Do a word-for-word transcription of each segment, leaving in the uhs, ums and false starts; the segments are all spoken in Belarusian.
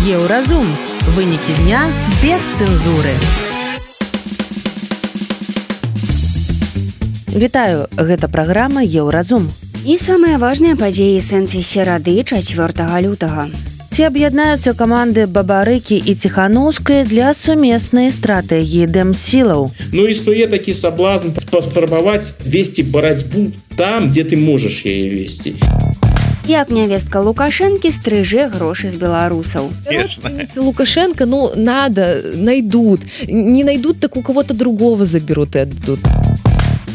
Еўразум. Вынікі дня без цэнзуры. Вітаю, гэта праграма Еўразум. І самыя важныя падзеі сэнсе серады чацвёртага лютага. Ці аб'яднаюцца каманды Бабарыкі і Ціханаўскай для сумеснай стратэгіі дэмсілаў. Ну, існуе такі саблазн паспрабаваць весці барацьбу там, дзе ты можаш яе весці. Як нявестка Лукашэнкі стрыжэ грошы з беларусаў. Родственницы Лукашенко, ну, надо, найдут. Не найдут, так у кого-то другого заберут и отдадут.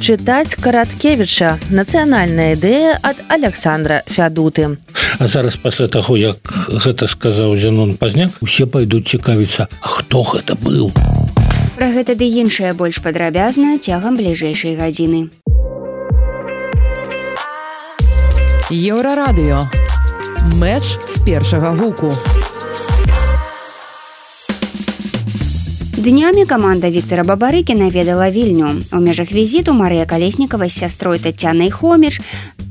Чытаць Караткевіча. Нацыянальная ідэя ад Александра Фядуты. А зараз пасля таго, як гэта сказаў Зенон Пазняк, усе пайдуць цікавіцца, а хто гэта быў? Пра гэта ды іншае больш падрабязна цягам бліжэйшай гадзіны. Еўрарадыё. Мэч з першага гуку. Днямі каманда Віктара Бабарыкі наведала Вільню. У межах візіту Марыя Калеснікава з сястрой Тацянай Хоміч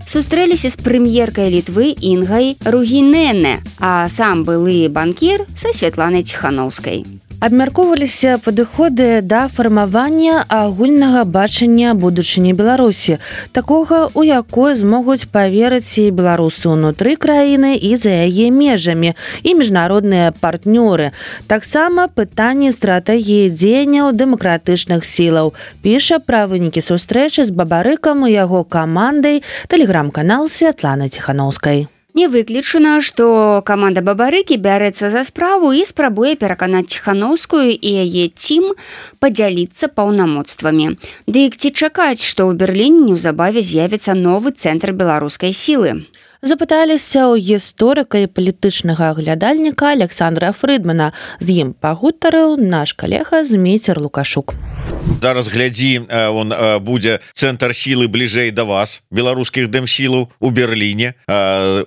сустрэліся з прэм'еркай Літвы Інгай Ругінене, а сам былы банкір са Святланай Ціханаўскай. Абмяркоўваліся падыходы да фармавання агульнага бачання будучыні Беларусі, такога, у якой змогуць паверыць і беларусы ўнутры краіны і за яе межамі, і міжнародныя партнёры. Таксама пытанні стратэгіі дзеянняў дэмакратычных сілаў. Піша пра вынікі сустрэчы з Бабарыкам і яго камандай тэлеграм-канал Святланы Ціханаўскай. Не выключана, што каманда Бабарыкі бярэцца за справу і спрабуе пераканаць Ціханаўскую і яе цім падзяліцца паўнамоцтвамі. Дык ці чакаць, што ў Берліне неўзабаве з'явіцца новы цэнтр беларускай сілы? Запыталіся ў гісторыка і палітычнага аглядальніка Александра Фрыдмана. З ім пагутарыў наш калега Змейцер Лукашук. Зараз глядзі, он будзе цэнтр сілы бліжэй да вас, беларускіх дэмсілаў у Берліне.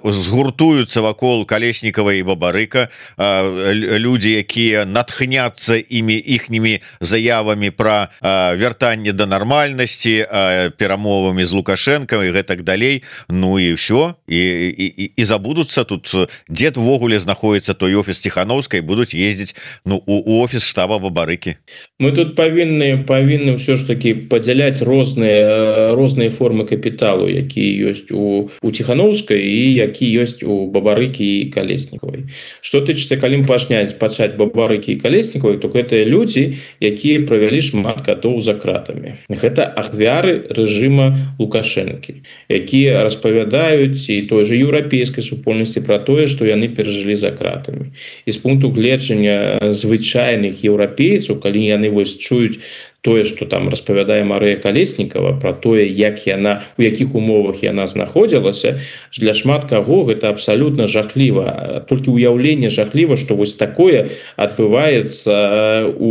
Згуртуюцца вакол Калеснікава і Бабарыка людзі, якія натхняцца імі іхнімі заявамі пра вяртанне да нармальнасці, перамовамі з Лукашэнкам і гэтак далей. Ну і ўсё. І, і, і забудуцца тут, дзе увогуле знаходіцца той офіс Ціханаўскай, будуць ездзіць ну, у, у офіс штаба Бабарыкі. Мы тут павінны павінны ўсё ж такі падзяляць розныя розныя формы капіталу, якія ёсць у, у Ціханаўскай і які ёсць у Бабарыкі і Калеснікавай. Што тычыцца, калі пачняць пачаць Бабарыкі і Калеснікавай, то гэтыя людзі, якія правялі шмат гадоў за кратамі. Гэта ахвяры рэжыма Лукашэнкі, якія распавядаюць і той же еўрапейскай супольнасці пра тое, што яны перажылі за кратамі. І з пункту гледжання звычайных еўрапейцаў, калі яны вось чуюць тое, што там распавядае Марыя Калеснікава пра тое, як яна, у якіх умовах яна знаходзілася, для шмат каго гэта абсалютна жахліва. Толькі ўяўленне жахліва, што вось такое адбываецца у,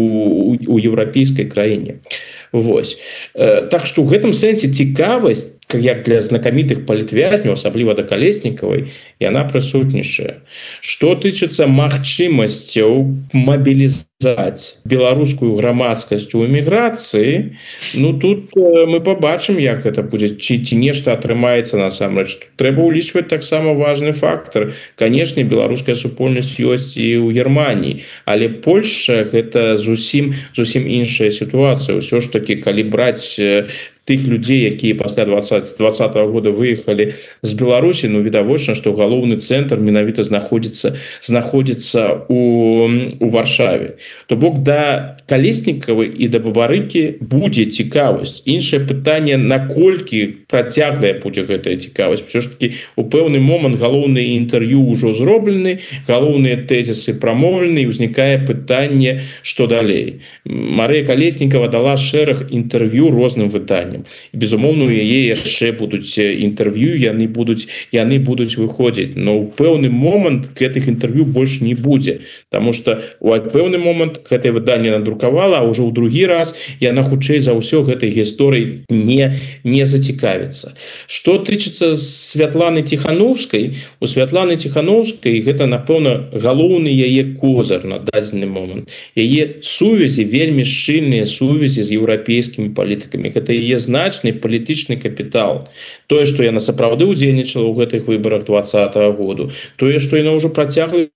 у, у еўрапейскай краіне. Вось. Так што ў гэтым сэнсе цікавасць, як для знакамітых палітвязняў, асабліва да Калеснікавай, яна прысутнічае. Што тычыцца магчымасцяў мабілізаваць беларускую грамадскасць у эміграцыі, ну тут мы пабачым, як гэта будзе, ці, ці нешта атрымаецца насамрэч. Трэба ўлічваць таксама важны фактар. Канешне, беларуская супольнасць ёсць і ў Германіі, але Польшча гэта зусім, зусім іншая сітуацыя. Усё ж такі, калі браць тых людзей, якія пасля двадцатого года выехалі з Беларусі, ну відавочна, што галоўны цэнтр менавіта знаходзіцца знаходзіцца у, у Варшаве. То бок да Калеснікавай і да Бабарыкі будзе цікавасць. Іншае пытанне, наколькі працяглая будзе гэтая цікавасць. Усё ж такі у пэўны момант галоўныя інтэрв'ю ўжо зроблены, галоўныя тэзісы прамоўлены, і ўзнікае пытанне, што далей. Марыя Калеснікава дала шэраг інтэрв'ю розным выданням. І, безумоўна, у яе яшчэ будуць інтэрв'ю, яны будуць, яны будуць выходзіць. Но ў пэўны момант гэтых інтэрв'ю больш не будзе. Таму што у пэўны момант гэтае выданне надрукавала, а ўжо ў другі раз яна хутчэй за ўсё гэтай гісторыі не, не зацікавіцца. Што тычыцца Святланы Ціханаўскай, у Святланы Ціханаўскай гэта, напэўна, галоўны яе козыр на дадзены момант. Яе сувязі, вельмі шчыльныя сувязі з еўрапейскімі палітыкамі. Гэта яе значны палітычны капітал. Тое, што яна сапраўды ўдзельнічала ў гэтых выбарах двадцатого году, тое, што яна ўжо працягвае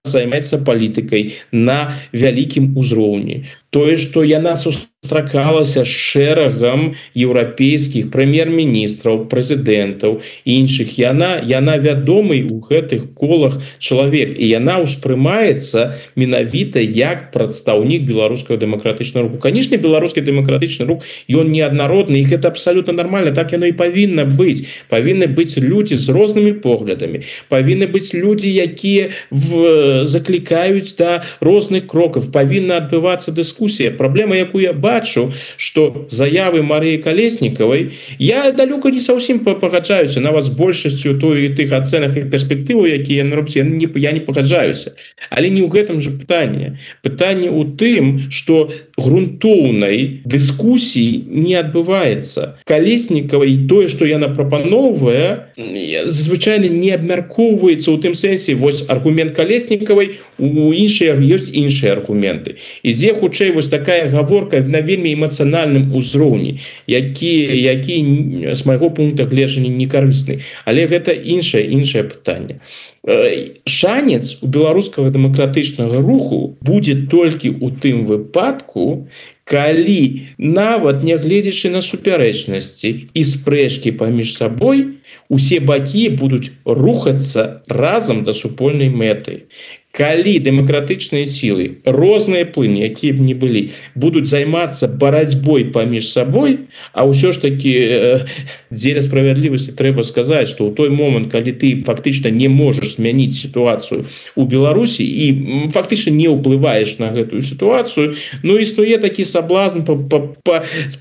займаецца палітыкай на вялікім узроўні, тое, што яна сустракалася з шэрагам еўрапейскіх прэм'ер-міністраў, прэзідэнтаў і іншых, яна яна вядомый у гэтых колах чалавек, і яна ўспрымаецца менавіта як прадстаўнік беларускага дэмакратычнага руху. Канечне, беларускі дэмакратычны рух, ён неаднародны, і гэта абсалютна нармальна, так яно і павінна быць. Павінны быць людзі з рознымі поглядамі, павінны быць людзі, якія в... заклікаюць да розных крокаў, павінна адбывацца дыскусія. Праблема, якую я бачу, што заявы Марыі Калеснікавай, я далёка не зусім пагаджаюся, нават з большасцю той тых ацэнак і перспектываў, якія яны робяць, я не, я не пагаджаюся. Але не ў гэтым жа пытанне. Пытанне ў тым, што грунтоўнай дыскусіі не адбываецца. Калеснікавай тое, што яна прапаноўвае, звычайна не абмяркоўваецца ў тым сэнсе, вось аргумент Калеснікавай, у іншыя ёсць іншыя аргументы. Ідзе хутчэй вось такая гаворка на вельмі эмацыянальным узроўні, які, які з майго пункта гледжання не карысны. Але гэта іншае, іншае пытанне. Шанец у беларускага дэмакратычнага руху будзе толькі ў тым выпадку, калі нават нягледзячы на супярэчнасці і спрэчкі паміж сабой, усе бакі будуць рухацца разам да супольнай мэты. Калі дэмакратычныя сілы, розныя плыні, якія б не былі, будуць займацца барацьбой паміж сабой, а ўсё ж такі э, дзеля справядлівасці трэба сказаць, што ў той момант, калі ты фактычна не можаш змяніць сітуацыю ў Беларусі і фактычна не ўплываеш на гэтую сітуацыю, ну існуе такі саблазн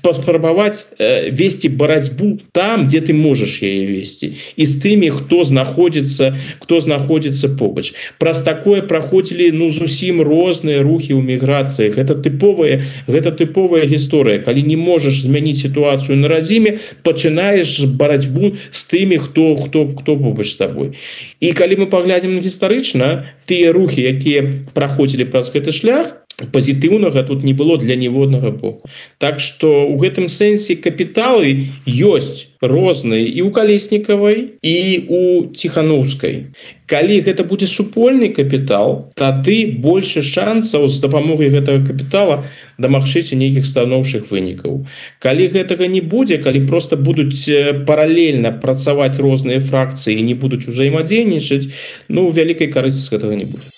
паспрабаваць э, весці барацьбу там, дзе ты можаш яе весці, і з тымі, хто знаходзіцца, хто знаходзіцца побач. Праз такое праходзілі ну зусім розныя рухі ў міграцыях. Гэта тыповая, гэта тыповая гісторыя. Калі не можаш змяніць сітуацыю на радзіме, пачынаеш барацьбу з тымі, хто хто хто побач з табой. І калі мы паглядзім гістарычна, тыя рухі, якія праходзілі праз гэты шлях, пазітыўнага тут не было для ніводнага боку. Так што ў гэтым сэнсе капіталы ёсць розныя і ў Калеснікавай, і ў Ціханаўскай. Калі гэта будзе супольны капітал, тады больше шансаў з дапамогай гэтага капітала дамагчыся нейкіх станоўчых вынікаў. Калі гэтага не будзе, калі проста будуць паралельна працаваць розныя фракцыі і не будуць узаемадзейнічаць, ну вялікай карысці з гэтага не будзе.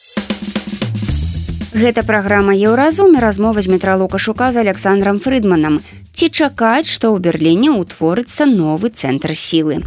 Гэта праграма «Еўразум» і размова з Дмітра Лукашука з Александром Фрыдманам. Ці чакаць, што ў Берліне ўтворыцца новы цэнтр сілы?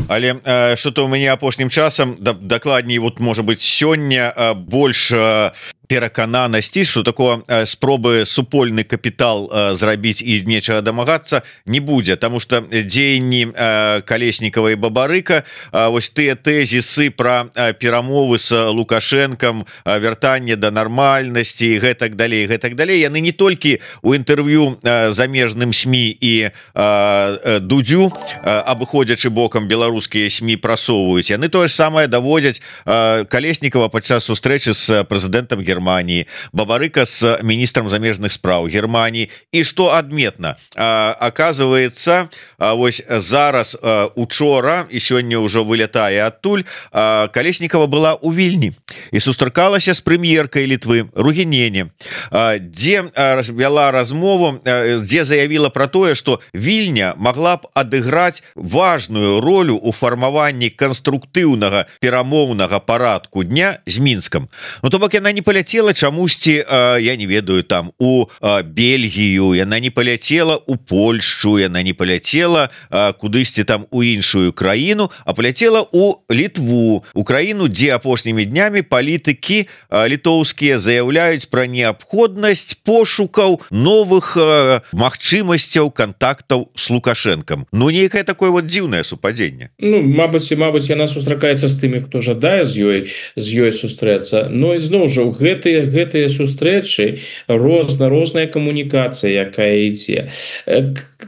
Але э, что-то у мяне апошнім часам, да, дакладней, вот, можа быць, сёння э, больш э, перакананасці, што такое э, спробы супольны капітал э, зрабіць і нечага дамагацца не будзе, таму што дзеянні э, Калеснікава і Бабарыка, э, вось тыя тэзісы пра э, перамовы з Лукашэнкам, э, вяртанне да нармальнасці і гэтак далей, гэтак далей, яны не толькі у інтэрв'ю э, замежным СМІ і э, э, Дудзю, э, абыходзячы бокам беларускія СМІ прасоўваюць, яны тое ж самае даводзяць э, Калеснікава падчас сустрэчы з прэзідэнтам Германії, Бабарыка с министром замежных спраў Германии. И что адметно, оказывается, вось зараз учора и сёння уже вылетая адтуль, Калеснікава была у Вільні и сустракалася с прэм'еркай Літвы Ругінене, где вела размову, где заявила про тое, что Вільня могла б адыграць важную ролю у фармаванні конструктыўнага перамоўнага парадку дня з Мінскам. Ну то бок яна не полетела чамусьці, я не ведаю, там у Бельгію, яна не полетела у Польшчу, яна не полетела кудысьці там у іншую краіну, а полетела у Літву, у краіну, дзе апошнімі днямі палітыкі літоўскія заяўляюць пра неабходнасць пошукаў новых магчымасцяў кантактаў с Лукашэнкам. Ну нейкае такое вот дзіўнае супадзенне. Ну мабыць, мабыць, яна сустракаецца з тымі, хто жадае з ёй з ёй сустрэцца. Но ізноў жа гэта гэтыя гэтыя сустрэчы розна розная камунікацыя, якая ідзе.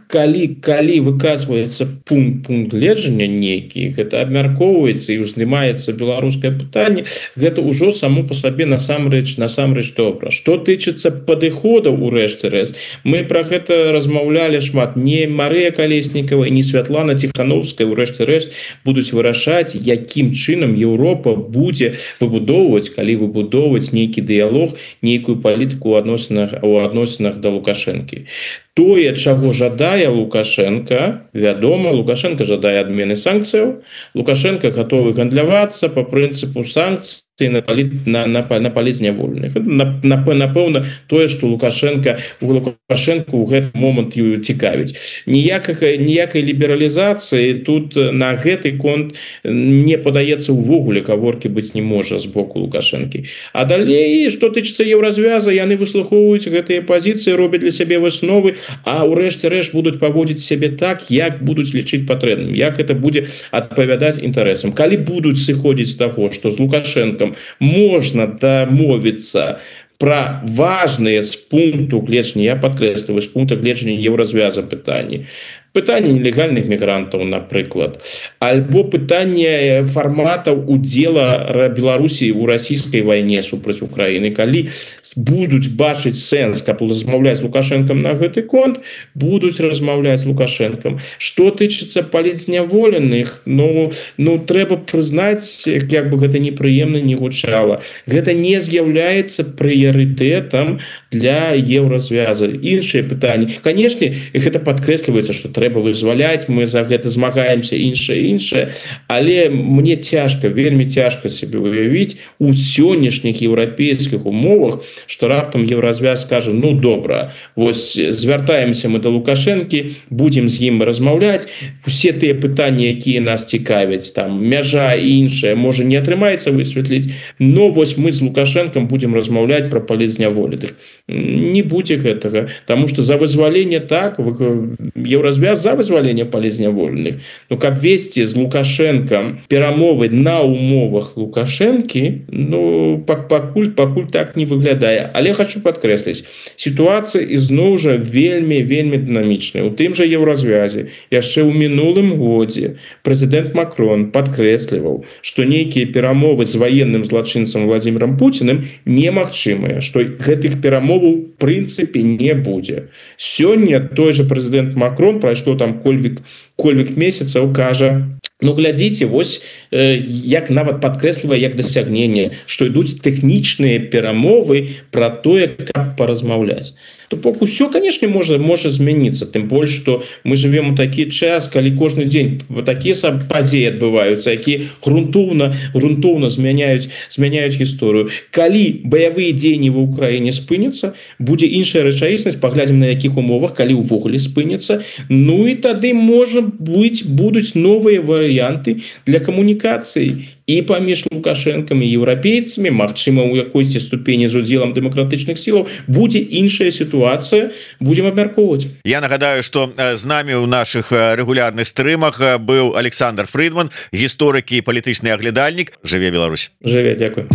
Калі калі выказваецца пункт пункт гледжання нейкі, гэта абмяркоўваецца і узнімаецца беларускае пытанне, гэта ўжо само по сабе насамрэч насамрэч добра. Што тычыцца падыходаў у рэшце рэшт, мы пра гэта размаўлялі шмат. Не Марыя Калеснікава і не Святлана Ціхановская у рэшце рэшт будуць вырашаць, якім чынам Еўропа будзе выбудоўваць, калі выбудоўваць нейкі дыялог, нейкую палітыку ў адносінах у адносінах да Лукашэнкі. Тое, чаго жадае Лукашенко, вядома, Лукашенко жадае адмены санкцыяў, Лукашенко гатовы гандлявацца по прынцыпу санкцый на паліт на на на палізнявольных. Напэўна, тое, што Лукашенко у Лукашенко ў гэты момант цікавіць. Ніякага ніякай лібералізацыі тут на гэты конт не падаецца ўвогуле, гаворкі быць не можа з боку Лукашэнкі. А далей, што тычыцца еўразвяза, яны выслухоўваюць гэтыя пазіцыі, робяць для сябе высновы, а ўрэшце рэшт будуць паводзіць сябе так, як будуць лічыць патрэбным, як это будзе адпавядаць інтарэсам. Калі будуць сыходзіць з таго, што з Лукашэнкам можна дамовіцца пра важныя з пункту гледжання, я падкрэсліваю, з пункта гледжання еўразвяза пытанні. Пытанне нелегальных мігрантаў, напрыклад, альбо пытанне фарматаў удзела Беларусі ў расійскай вайне супраць Украіны. Калі будуць бачыць сэнс, каб размаўляць з Лукашэнкам на гэты конт, будуць размаўляць з Лукашэнкам. Што тычыцца палітзняволеных, ну, ну трэба прызнаць, як бы гэта непрыемна не гучала. Гэта не з'яўляецца прыярытэтам для еўразвяза. Іншыя пытанні. Канешне, гэта падкрэсліваецца, што трэба вызваляць, мы за гэта змагаемся, іншае, іншае, але мне цяжка, вельмі цяжка себе уявіць у сённяшніх еўрапейскіх умовах, што раптам еўразвяз скажа, ну добра, вось звяртаемся мы да Лукашэнкі, будзем з ім размаўляць, усе тыя пытанні, якія нас цікавяць, там мяжа і іншае, можа не атрымаецца высветліць, но вось мы з Лукашэнкам будзем размаўляць пра палітзняволеных. Не будзе гэтага, таму што за вызваленне так, еўразвяз за вызвалення палітзняволеных. Ну, каб весці з Лукашэнкам перамовы на умовах Лукашэнкі, ну, пакуль, пакуль так не выглядае. Але хочу падкрэсліць, сітуацыя ізноў жа вельмі, вельмі дынамічная. У тым жа еўразвязе яшчэ ў мінулым годзе прэзідэнт Макрон падкрэсліваў, што нейкія перамовы з ваенным злачынцам Владзімірам Пуціным немагчымыя, што гэтых перамоваў у прынцыпе не будзе. Сёння той жа прэзідэнт Макрон прайшоў што там кольвік, кольвік месяцаў кажа, ну глядзіце, вось э, як нават падкрэслівае як дасягненне, што ідуць тэхнічныя перамовы пра тое, каб паразмаўляць. То бок усё, канешне, можа можа змяніцца, тым больш, што мы жывем у такі час, калі кожны дзень такія падзеі адбываюцца, якія грунтоўна грунтоўна змяняюць змяняюць гісторыю. Калі баявыя дзеянні ва ўкраіне спыняцца, будзе іншая рэчаіснасць, паглядзім на якіх умовах, калі ўвогуле спыняцца. Ну і тады можа быць будуць новыя варыянты для камунікацыі і паміж Лукашэнкам і еўрапейцамі, магчыма, у якойсьці ступені з удзелам дэмакратычных сілаў будзе іншая сітуацыя, будзем абмяркоўваць. Я нагадаю, што з намі ў нашых рэгулярных стрымах быў Александр Фрыдман, гісторык і палітычны аглядальнік. Жыве Беларусь. Жыве, дзякуй.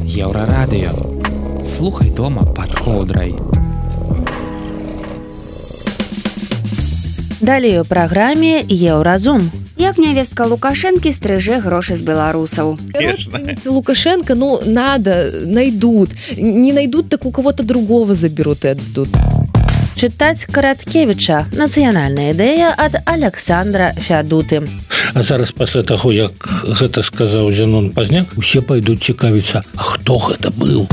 Еўрарадыё. Слухай дома пад коўдрай. Далей у праграме Еўразум. Як нявестка Лукашэнкі стрыжэ грошы з беларусаў. Родственницы Лукашенко, ну, надо, найдут. Не найдут, так у кого-то другого заберут и отдадут. Чытаць Караткевіча. Нацыянальная ідэя ад Александра Фядуты. А зараз пасля таго, як гэта сказаў Зянон Пазняк, усе пайдуць цікавіцца, а хто гэта быў?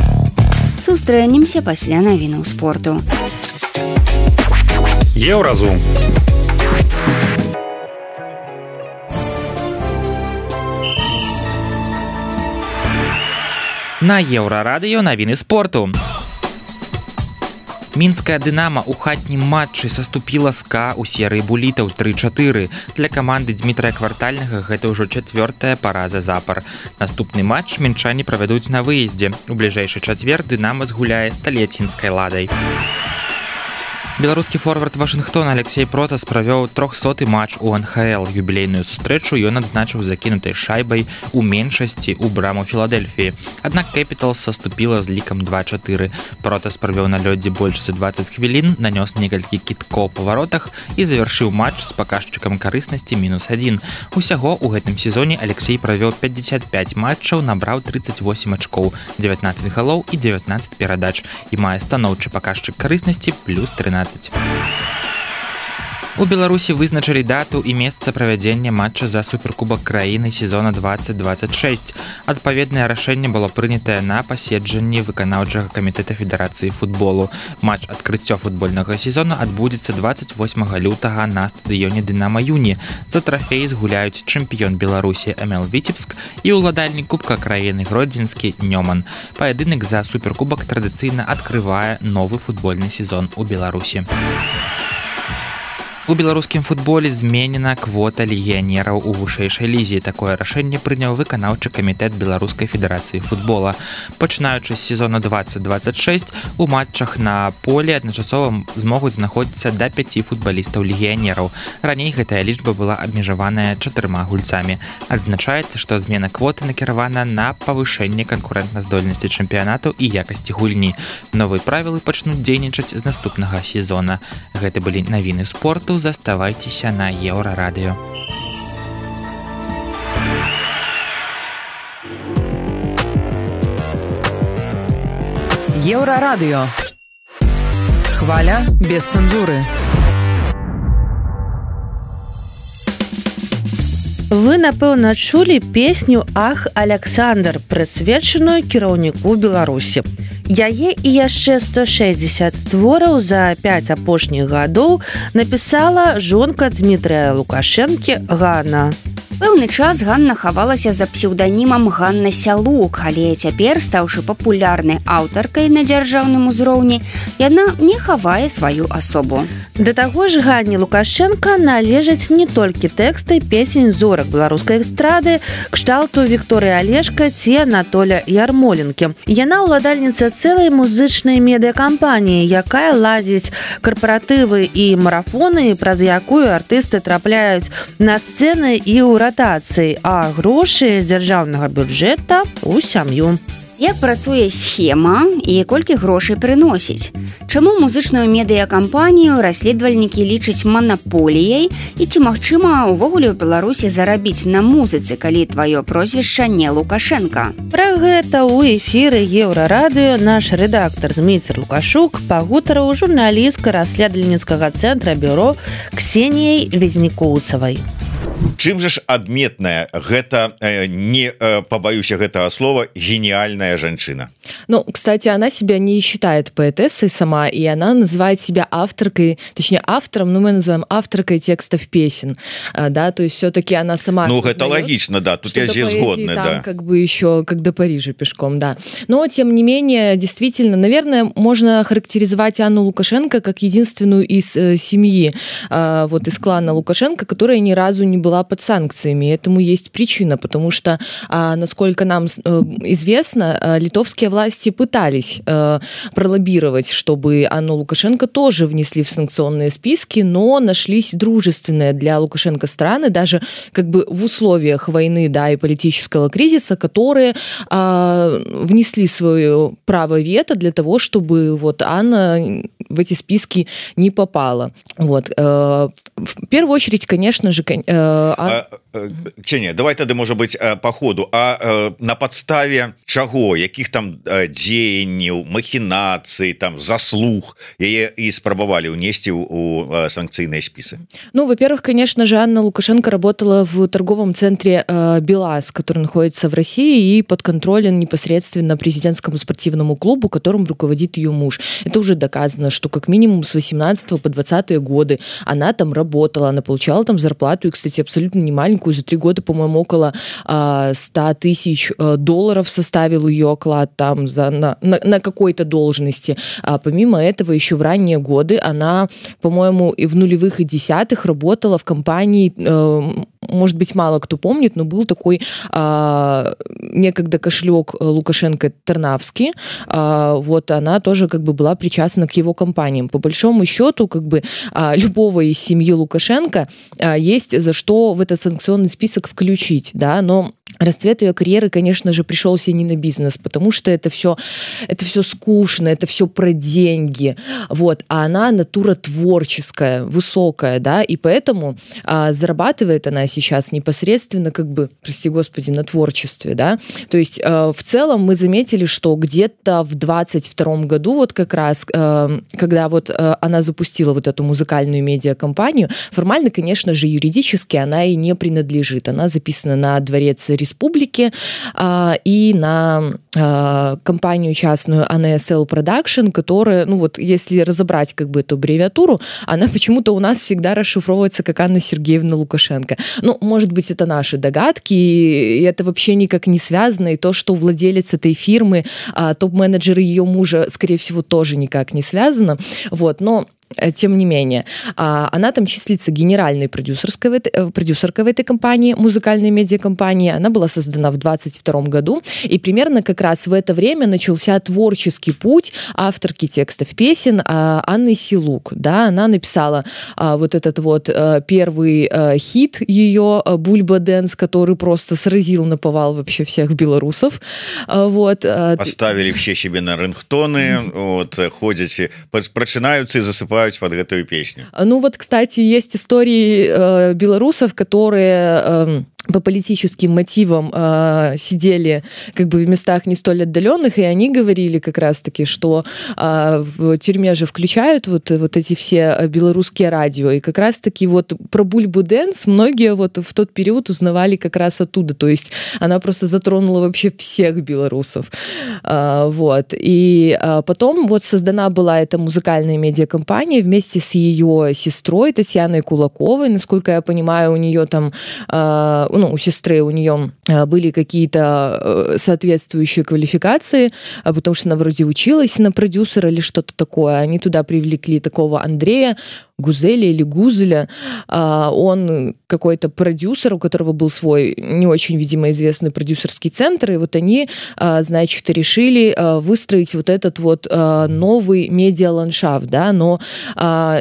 Сустрэнемся пасля навінаў спорту. Еўразум. На Еўрарадыё навіны спорту. Мінская «Дынамо» у хатнім матчы саступіла СКА ў серыі булітаў тры чатыры. Для каманды Дмітрая Квартальнага гэта ўжо чацвёртая параза запар. Наступны матч мінчане правядуць на выездзе. У бліжэйшы чацвер «Дынамо» згуляе з талецінскай «Ладай». Беларускі форвард Вашынгтона Алексей Протас правёў трохсоты матч у эн ха эл. Юбілейную сустрэчу ён адзначыў закінутай шайбай у меншасці ў браму Філадельфіі. Аднак Capitals саступіла з лікам два чатыры. Протас правёў на лёдзе больш за дваццаць хвілін, нанёс некалькі кідкоў па варотах і завяршыў матч з паказчыкам карыснасці мінус адзін. Усяго ў гэтым сезоне Алексей правёў пятьдесят пять матчаў, набраў тридцать восемь ачкоў, девятнадцать галоў і девятнадцать перадач і мае станоўчы паказчык карыснасці плюс тринадцать. У Беларусі вызначылі дату і месца правядзення матча за суперкубак краіны сезона двадцать двадцать шесть. Адпаведнае рашэнне было прынятае на паседжанні выканаўчага камітэта Федэрацыі футболу. Матч адкрыццё футбольнага сезона адбудзецца двадцать восьмага лютага на стадыёне Дынама Юні. За трафей згуляюць чэмпіён Беларусі эм эл Віцебск і ўладальнік кубка краіны Гродзенскі Нёман. Паядынак за суперкубак традыцыйна адкрывае новы футбольны сезон у Беларусі. У беларускім футболе зменена квота легіянераў у вышэйшай лізе. Такое рашэнне прыняў выканаўчы камітэт Беларускай федэрацыі футбола. Пачынаючы з сезона двадцать двадцать шесть у матчах на поле адначасова змогуць знаходзіцца да пяці футбалістаў легіянераў. Раней гэтая лічба была абмежаваная чатырма гульцамі. Адзначаецца, што змена квоты накіравана на павышэнне канкурэнтназдольнасці чэмпіянату і якасці гульні. Новыя правілы пачнуць дзейнічаць з наступнага сезона. Гэта былі навіны спорту. Заставайцеся на Еўрарадыё. Еўрарадыё. Хваля без цэнзуры. Вы, напэўна, чулі песню «Ах, Аляксандр», прысвечаную кіраўніку Беларусі. Яе і яшчэ сто шэсцьдзесят твораў за пяць апошніх гадоў напісала жонка Дмітрыя Лукашэнкі Ганна. Пэўны час Ганна хавалася за псеўданімам Ганна Сялук, але цяпер, стаўшы папулярнай аўтаркай на дзяржаўным узроўні, яна не хавае сваю асобу. Да таго ж Ганне Лукашенко належаць не толькі тэксты песень зорак беларускай эстрады кшталту Вікторыі Алешка ці Анатоля Ярмоленкі. Яна ўладальніца цэлай музычнай медыакампаніі, якая ладзіць карпаратывы і марафоны, праз якую артысты трапляюць на сцэны і ў ратацыі, а грошы з дзяржаўнага бюджэта ў сям'ю. Як працуе схема і колькі грошай прыносіць? Чаму музычную медыакампанію расследавальнікі лічаць манаполіяй і ці магчыма ўвогуле ў Беларусі зарабіць на музыцы, калі тваё прозвішча не Лукашенка? Пра гэта ў эфіры Еўрарадыё наш рэдактар Зміцер Лукашук пагутарыў журналістка расследавальніцкага цэнтра бюро Ксеніяй Везнікоўцавай. Чым же ж адметная гэта, э, не э, побоюся гэтага слова, гениальная женщина? Ну, кстати, она себя не считает поэтессой сама, и она называет себя авторкой, точнее автором, ну мы называем авторкой текстов песен, а, да, то есть все-таки она сама. Ну, это логично, да, тут я здесь сгодна, там, да. Как бы еще, как до Парижа пешком, да. Но, тем не менее, действительно, наверное, можно характеризовать Анну Лукашенко как единственную из э, семьи, э, вот из клана Лукашенко, которая ни разу не была под санкциями. Этому есть причина, потому что, э, насколько нам э, известно, э, литовские власти пытались э, пролоббировать, чтобы Анну Лукашенко тоже внесли в санкционные списки, но нашлись дружественные для Лукашенко страны, даже как бы в условиях войны, да, и политического кризиса, которые э, внесли свое право вето для того, чтобы вот Анна в эти списки не попала. Вот. Э, в первую очередь, конечно же, э, а... Ксения, давай тады, может быть, по ходу, а э, на подставе чаго, якіх там э, дзеянняў, махінацый, там заслуг яе і спрабавалі ўнесці у э, санкцыйныя спісы? Ну, во-первых, конечно же, Анна Лукашенко работала в торговом центре э, БелАЗ, который находится в России и подконтролен непосредственно президентскому спортивному клубу, которым руководит ее муж. Это уже доказано, что как минимум с восемнадцатого по двадцатые годы она там работала, она получала там зарплату, и, кстати, абсолютно не маленькую, за три года, по-моему, около э, ста тысяч э, долларов составил ее оклад там за, на, на, на какой-то должности. А помимо этого, еще в ранние годы она, по-моему, и в нулевых и десятых работала в компании, э, может быть, мало кто помнит, но был такой э, некогда кошелек Лукашенко Тарнавский, вот она тоже как бы была причастна к его кампаниям. По большому счету, как бы любого из семьи Лукашенко есть за что в этот санкционный список включить, да, но расцвет ее карьеры, конечно же, пришелся не на бизнес, потому что это все, это все скучно, это все про деньги, вот, а она натура творческая, высокая, да, и поэтому а, зарабатывает она сейчас непосредственно, как бы, прости господи, на творчестве, да, то есть а, в целом мы заметили, что где-то в двадцать втором году, вот как раз, а, когда вот а, она запустила вот эту музыкальную медиакомпанию, формально, конечно же, юридически она и не принадлежит, она записана на Дворец Республики а, и на а, компанию частную эй эн эс эл Production, которая, ну вот, если разобрать как бы эту аббревиатуру, она почему-то у нас всегда расшифровывается как Анна Сергеевна Лукашенко. Ну, может быть, это наши догадки, и это вообще никак не связано, и то, что владелец этой фирмы, а, топ-менеджер ее мужа, скорее всего, тоже никак не связано, вот, но тем не менее, она там числится генеральной продюсерской в этой, продюсеркой в этой компании, музыкальной медиакомпании. Она была создана в двадцать втором году, и примерно как раз в это время начался творческий путь авторки текстов песен Анны Силук. Да, она написала вот этот вот первый хит ее «Бульба Дэнс», который просто сразил наповал вообще всех белорусов. Вот. Поставили все себе на рингтоны, вот, ходят, прочинаются и засыпают под эту песню. Ну вот, кстати, есть истории э, белорусов, которые э, по политическим мотивам э, сидели как бы в местах не столь отдаленных, и они говорили как раз-таки, что э, в тюрьме же включают вот, вот эти все белорусские радио, и как раз-таки вот про Бульбу Дэнс многие вот в тот период узнавали как раз оттуда, то есть она просто затронула вообще всех белорусов. Э, вот. И э, потом вот создана была эта музыкальная медиакомпания вместе с ее сестрой Татьяной Кулаковой, насколько я понимаю, у нее там э, ну, у сестры у нее были какие-то соответствующие квалификации, потому что она вроде училась на продюсера или что-то такое. Они туда привлекли такого Андрея Гузеля или Гузеля. Он какой-то продюсер, у которого был свой не очень, видимо, известный продюсерский центр, и вот они, значит, решили выстроить вот этот вот новый медиаландшафт, да, но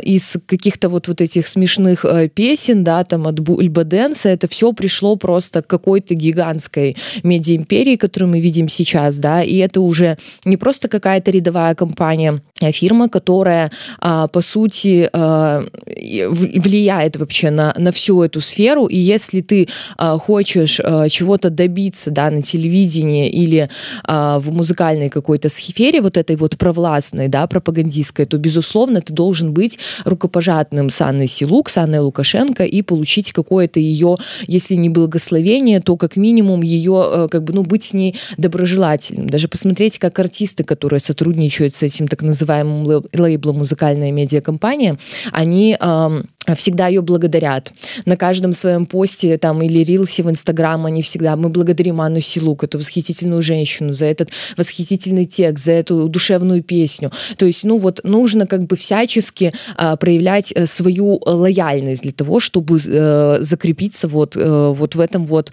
из каких-то вот, вот этих смешных песен, да, там от Бульба Дэнса, это все пришло просто к какой-то гигантской медиаимперии, которую мы видим сейчас, да, и это уже не просто какая-то рядовая компания, а фирма, которая, по сути, влияет вообще на, на всю эту сферу, и если ты хочешь чего-то добиться, да, на телевидении или в музыкальной какой-то сфере, вот этой вот провластной, да, пропагандистской, то, безусловно, ты должен быть рукопожатным с Анной Силук, с Анной Лукашенко и получить какое-то ее, если не благословение, то как минимум ее, как бы, ну, быть с ней доброжелательным. Даже посмотреть, как артисты, которые сотрудничают с этим так называемым лейблом «Музыкальная медиакомпания», они э, всегда ее благодарят. На каждом своем посте там, или рилсе в Инстаграм они всегда: мы благодарим Анну Силук, эту восхитительную женщину, за этот восхитительный текст, за эту душевную песню. То есть, ну вот, нужно как бы всячески э, проявлять э, свою лояльность для того, чтобы э, закрепиться вот, э, вот в этом вот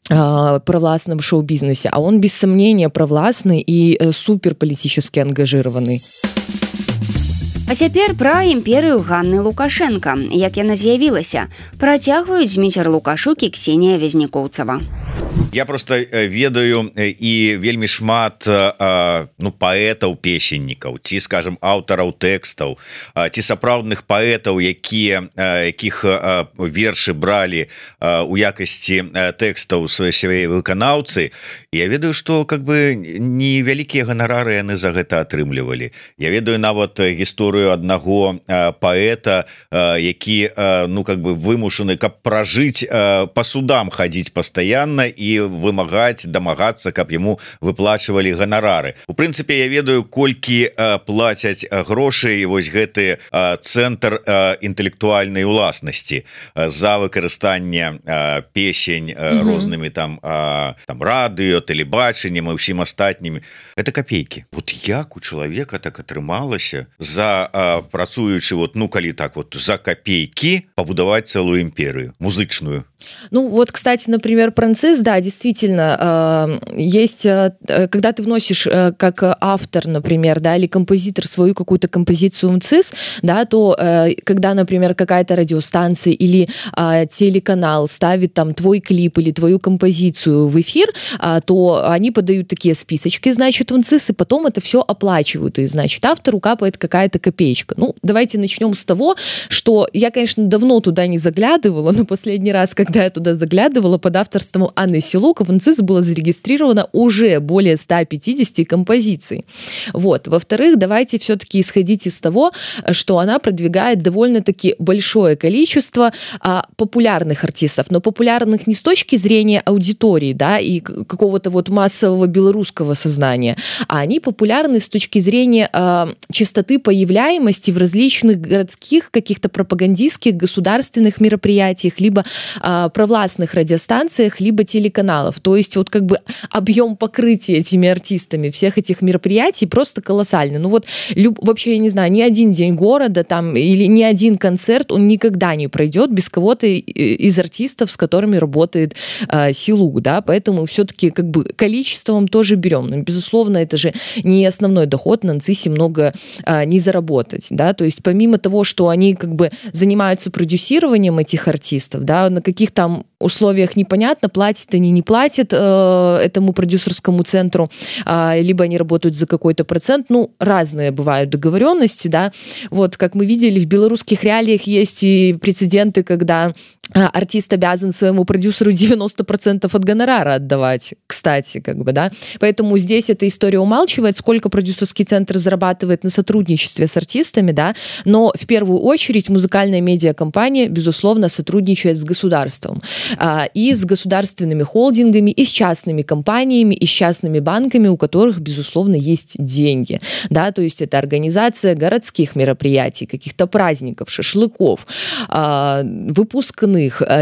провластном шоу-бизнесе, а он без сомнения провластный и э, супер политически ангажированный. А цяпер пра імперыю Ганны Лукашенко. Як яна з'явілася, працягваюць Зміцер Лукашук і Ксенія Вязнікоўцава. Я просто ведаю і вельмі шмат ну, паэтаў-песеннікаў, ці, скажем, аўтараў тэкстаў, ці сапраўдных паэтаў, якія, якіх вершы бралі у якасці тэкстаў свае выканаўцы. Я ведаю, што как бы невялікія ганарары яны за гэта атрымлівалі. Я ведаю нават гісторыю аднаго паэта, які ну, как бы вымушаны, каб пражыць, па судам хадзіць пастаянна і вымагаць, дамагацца, каб яму выплачвалі ганарары. У прынцыпе, я ведаю, колькі плацяць грошай вось гэты цэнтр інтэлектуальнай уласнасці за выкарыстанне песень рознымі там, там радыё, тэлебачаннем і ўсім астатнімі. Это копейкі. Вот як у чалавека так атрымалася за працуючы вот, ну калі так вот за копейкі пабудаваць цэлую імперыю музычную. Ну вот, кстати, например, Францис, да, действительно, есть, когда ты вносишь как автор, например, да, или композитор свою какую-то композицию в МЦИС, да, то когда, например, какая-то радиостанция или телеканал ставит там твой клип или твою композицию в эфир, то они подают такие списочки, значит, в МЦИС, и потом это все оплачивают, и, значит, автору капает какая-то копеечка. Ну, давайте начнем с того, что я, конечно, давно туда не заглядывала, но последний раз, когда я туда заглядывала, под авторством Анны Силук в МЦИС было зарегистрировано уже более ста пятидесяти композиций. Вот. Во-вторых, давайте все-таки исходить из того, что она продвигает довольно-таки большое количество а, популярных артистов, но популярных не с точки зрения аудитории, да, и какого-то вот массового белорусского сознания, а они популярны с точки зрения а, частоты появляемости в различных городских каких-то пропагандистских государственных мероприятиях, либо а, провластных радиостанциях, либо телеканалов. То есть вот как бы объем покрытия этими артистами всех этих мероприятий просто колоссальный. Ну вот люб, вообще, я не знаю, ни один день города там или ни один концерт, он никогда не пройдет без кого-то из артистов, с которыми работает а, Силук, да, поэтому все-таки как бы количеством тоже берем. Но, безусловно, это же не основной доход, на МЦИСе много а, не заработать, да, то есть помимо того, что они как бы занимаются продюсированием этих артистов, да, на каких там условиях непонятно, платят они, не платят э, этому продюсерскому центру, э, либо они работают за какой-то процент, ну, разные бывают договоренности, да, вот, как мы видели, в белорусских реалиях есть и прецеденты, когда артист обязан своему продюсеру девяносто процентов от гонорара отдавать, кстати, как бы, да, поэтому здесь эта история умалчивает, сколько продюсерский центр зарабатывает на сотрудничестве с артистами, да, но в первую очередь музыкальная медиакомпания, безусловно, сотрудничает с государством, а, и с государственными холдингами, и с частными компаниями, и с частными банками, у которых, безусловно, есть деньги, да, то есть это организация городских мероприятий, каких-то праздников, шашлыков, а, выпускных,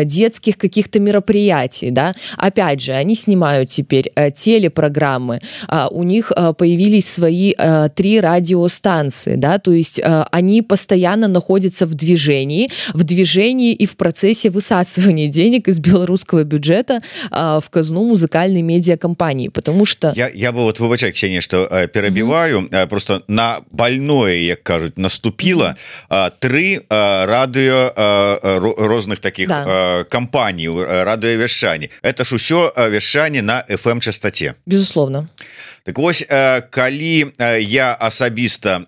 детских каких-то мероприятий, да, опять же, они снимают теперь а, телепрограммы, а, у них а, появились свои а, три радиостанции, да, то есть а, они постоянно находятся в движении, в движении и в процессе высасывания денег из белорусского бюджета а, в казну музыкальной медиакомпании, потому что... Я, я бы вот, выбачай, Ксения, что э, перебиваю, mm-hmm. просто на больное, як кажуть, наступило mm-hmm. э, три э, радио э, розных таких да. кампаній радыёвяшчанні. Это ж усё вяшчанне на эф эм частоте. Безусловно. Так вось, калі я асабіста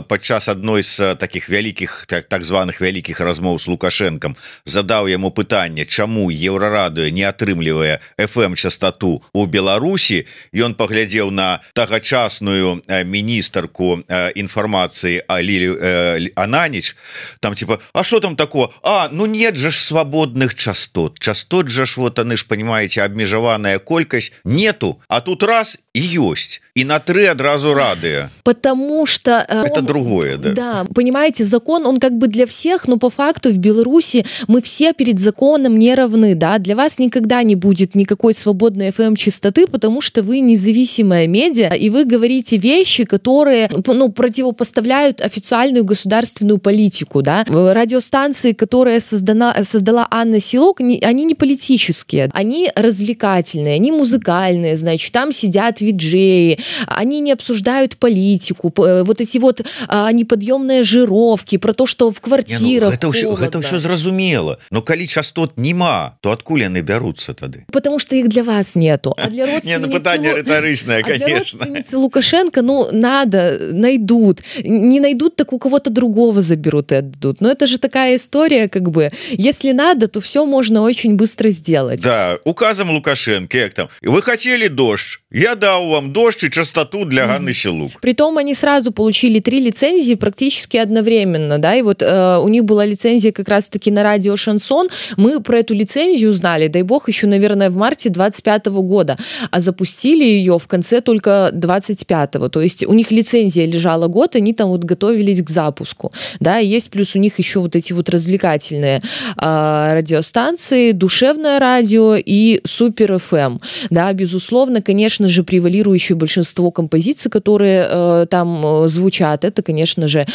падчас адной з таких вялікіх так, так званых вялікіх размоў з Лукашэнкам задаў яму пытанне, чаму еўрарадыё не атрымлівае эф эм частоту у Беларусі, ён паглядзеў на тагачасную міністарку інфармацыі Лілію Ананіч, там типа, а что там такое? А, ну нет же ж свободных частот. Частот же ж, вот они ж, понимаете, обмежаваная колькость нету, а тут раз и есть. И на три одразу радио. Потому что... Это он, другое, да. Да, понимаете, закон, он как бы для всех, но по факту в Беларуси мы все перед законом не равны, да. Для вас никогда не будет никакой свободной эф эм-частоты, потому что вы независимая медиа, и вы говорите вещи, которые, ну, противопоставляют официальную государственную политику, да. Радиостанции, которые создана, создала Анна Силук, они не политические, они развлекательные, они музыкальные, значит, там сидят виджеи, они не обсуждают политику, вот эти вот а, неподъемные жировки, про то, что в квартирах не, ну, это ўсё, это ўсё зразумела, но калі частот нема, то адкуль яны бяруцца тады? Потому что их для вас нету, а для родственницы, не, ну, пытание риторичное, конечно. А для родственницы Лукашенко, ну, надо, найдут, не найдут, так у кого-то другого заберут и отдадут, но это же такая история, как бы, если надо, то все можно очень быстро сделать. Да, указом Лукашенко, как там, вы хотели дождь, я дал вам дождь и частоту для Ганны Силук. Притом они сразу получили три лицензии практически одновременно, да, и вот э, у них была лицензия как раз-таки на радио «Шансон», мы про эту лицензию узнали, дай бог, еще, наверное, в марте двадцать пятого года, а запустили ее в конце только двадцать пятого, то есть у них лицензия лежала год, они там вот готовились к запуску, да, и есть плюс у них еще вот эти вот развлекательные э, радиостанции, душевное радио и Супер эф эм, да, безусловно, конечно же, превалирующей большинство композиций, которые там звучат, это, конечно же,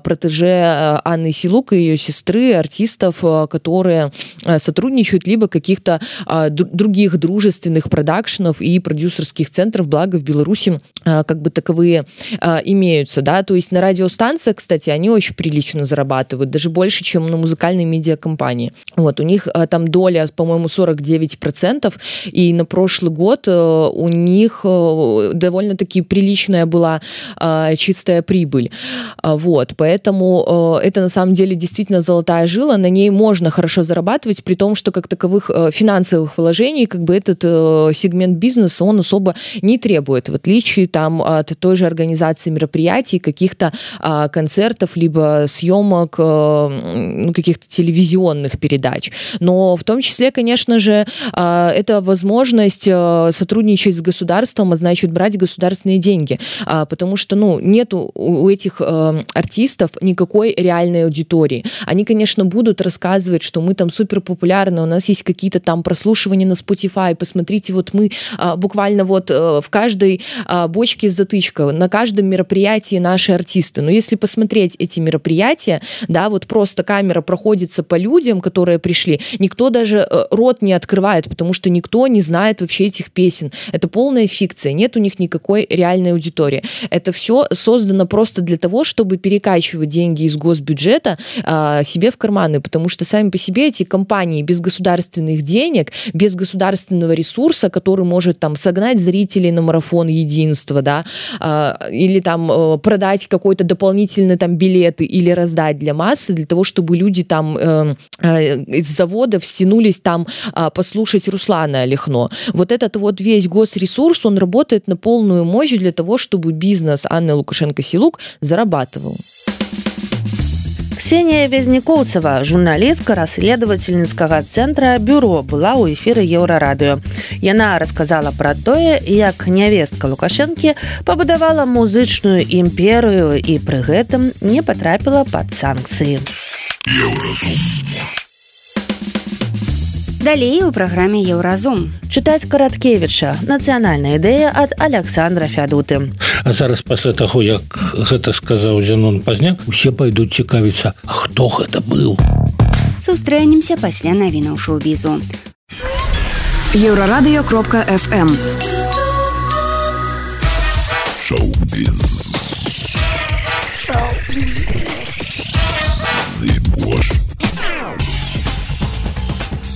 протеже Анны Силук и ее сестры, артистов, которые сотрудничают, либо каких-то других дружественных продакшенов и продюсерских центров, благо в Беларуси как бы таковые имеются, да, то есть на радиостанциях, кстати, они очень прилично зарабатывают, даже больше, чем на музыкальной медиакомпании. Вот, у них там доля, по-моему, сорок девять процентов, и на прошлый год у них довольно-таки приличная была чистая прибыль. Вот, поэтому это на самом деле действительно золотая жила, на ней можно хорошо зарабатывать, при том, что как таковых финансовых вложений, как бы этот сегмент бизнеса, он особо не требует, в отличие там от той же организации мероприятий, каких-то концертов, либо съемок, ну, каких-то телевизионных передач. Но в том числе, конечно же, это возможность сотрудничать с государством, а значит брать государственные деньги, потому что, ну, нету у этих артистов никакой реальной аудитории. Они, конечно, будут рассказывать, что мы там супер популярны, у нас есть какие-то там прослушивания на Spotify, посмотрите, вот мы буквально вот в каждой бочке затычка, на каждом мероприятии наши артисты. Но если посмотреть эти мероприятия, да, вот просто камера проходится по людям, которые пришли, никто даже рот не открывает, потому что никто не знает вообще этих песен. Это полная фикция, нет у них никакой реальной аудитории. Это все создано просто для того, чтобы перекачивать деньги из госбюджета а, себе в карманы, потому что сами по себе эти компании без государственных денег, без государственного ресурса, который может там согнать зрителей на марафон единства, да, а, или там а, продать какой-то дополнительный там билеты или раздать для массы, для того, чтобы люди там э, э, из заводов стянулись там э, послушать Руслана Олехно. Вот этот вот весь госресурс, он работает на полную мощь для того, чтобы бизнес Анны Лукашенко-Силук зарабатывал. Ксения Вязнякоўцева, журналістка расследовательніцкага центра «Бюро», была ў эфіры Еўрарадыё. Яна расказала пра тое, як нявестка Лукашэнкі пабудавала музычную імперыю і пры гэтым не патрапіла пад санкцыі. Еўразум. Далей у праграме «Еўразум». Чытаць Караткевіча. Нацыянальная ідэя ад Александра Фядуты. А зараз пасля таго, як гэта сказаў Зянон Пазняк, усе пайдуць цікавіцца, а хто гэта быў? Сустрэнемся пасля навінаў шоу-бізу. Еўрарадыё кропка эф эм. Шоу-біз. Шоу-біз. Зыбош.